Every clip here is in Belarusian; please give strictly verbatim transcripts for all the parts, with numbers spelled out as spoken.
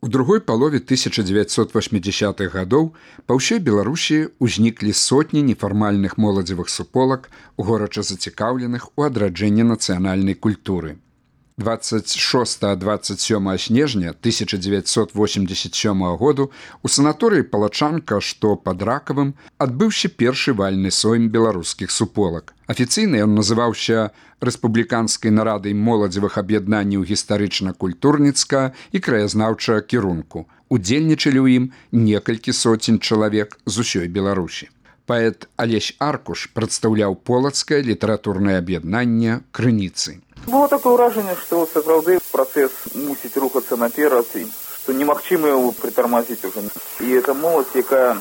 У другой палове тысяча девятьсот восьмидзясятых гадоў па ўсёй Беларусі ўзніклі сотні нефармальных моладзевых суполак, горача зацікаўленых у адраджэнні нацыянальнай культуры. двадцать шостага - двадцать сёмага снежня тысяча девятьсот восемьдесят сёмага году у санаторыі Палачанка, што пад Ракавым, адбыўся першы вальны сойм беларускіх суполак. Афіцыйна ён называўся Рэспубліканскай нарадай моладзевых аб'яднанняў гістарычна-культурніцкага і краязнаўчага кірунку. Удзельнічалі ў ім некалькі соцень чалавек з усёй Беларусі. Паэт Алесь Аркуш прадстаўляў полацкае літаратурнае аб'яднанне «Крыніцы». Было такое ўражанне, што сапраўды працэс мусіць рухацца наперад, і што немагчыма яго прытармазіць уже. І эта моладзь, якая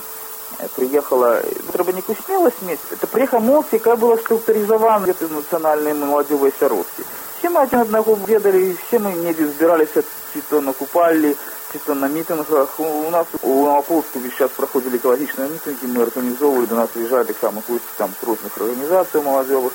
приехала, трэба некую смелость мець, это приехала моладзь, якая была структуризована гэтай нацыянальнай маладзёвай сяродкі. Все мы адзін аднаго ведалі, все мы недзе збіраліся, ці то на купаллі, ці то на мітынгах. У нас у Новополоцку весь час праходзілі экалагічныя мітынгі, мы арганізоўвалі, до нас выязджалі таксама госці там з розных арганізацый маладзёвых.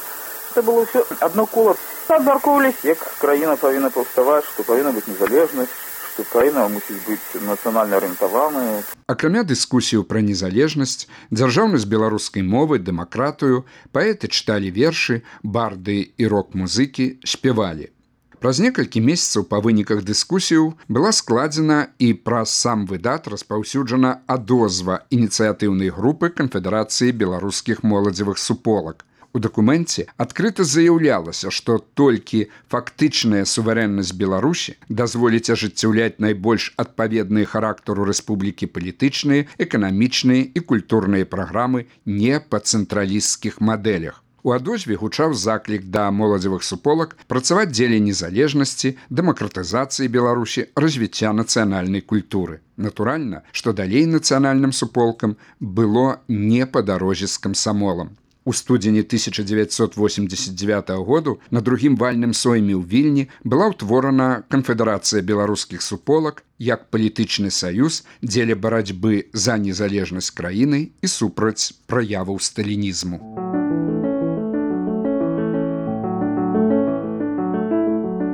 Это было ўсё адно кола. Абмяркоўваліся, як краіна павінна паўставаць, што павінна быць незалежнасць, што краіна мусіць быць нацыянальна арыентаваная. Акрамя дыскусіяў пра незалежнасць, дзяржаўнасць беларускай мовы, дэмакратыю, паэты чыталі вершы, барды і рок-музыкі спявалі. Праз некалькі месяцаў па выніках дыскусіяў была складзена і праз сам выдат распаўсюджана адозва ініцыятыўнай групы Канфедэрацыі беларускіх моладзевых суполак. У дакуменце адкрыта заяўлялася, што толькі фактычная суверэннасць Беларусі дазволіць ажыццяўляць найбольш адпаведныя характару рэспублікі палітычныя, эканамічныя і культурныя праграмы не па цэнтралісцкіх мадэлях. У адозве гучаў заклік да моладзевых суполак працаваць дзеля незалежнасці, дэмакратызацыі Беларусі, развіцця нацыянальнай культуры. Натуральна, што далей нацыянальным суполкам было не па дарозе з камсамолам. У студзені тысяча девятьсот восемьдесят девятого году на другім вальным сойме ў Вільні была ўтворана Канфедэрацыя беларускіх суполак як палітычны саюз дзеля барацьбы за незалежнасць краіны і супраць праяваў сталінізму.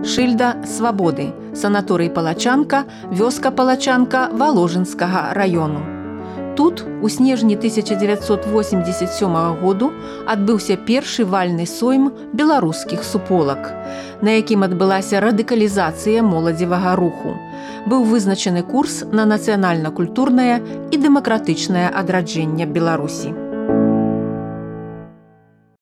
Шыльда свабоды. Санаторый Палачанка, вёска Палачанка Валожынскага раёну. Тут у снежні тысяча девятьсот восемьдесят сёмага году адбыўся першы вальны сойм беларускіх суполак, на якім адбылася радыкалізацыя моладзевага руху. Быў вызначаны курс на нацыянальна-культурнае і дэмакратычнае адраджэнне Беларусі.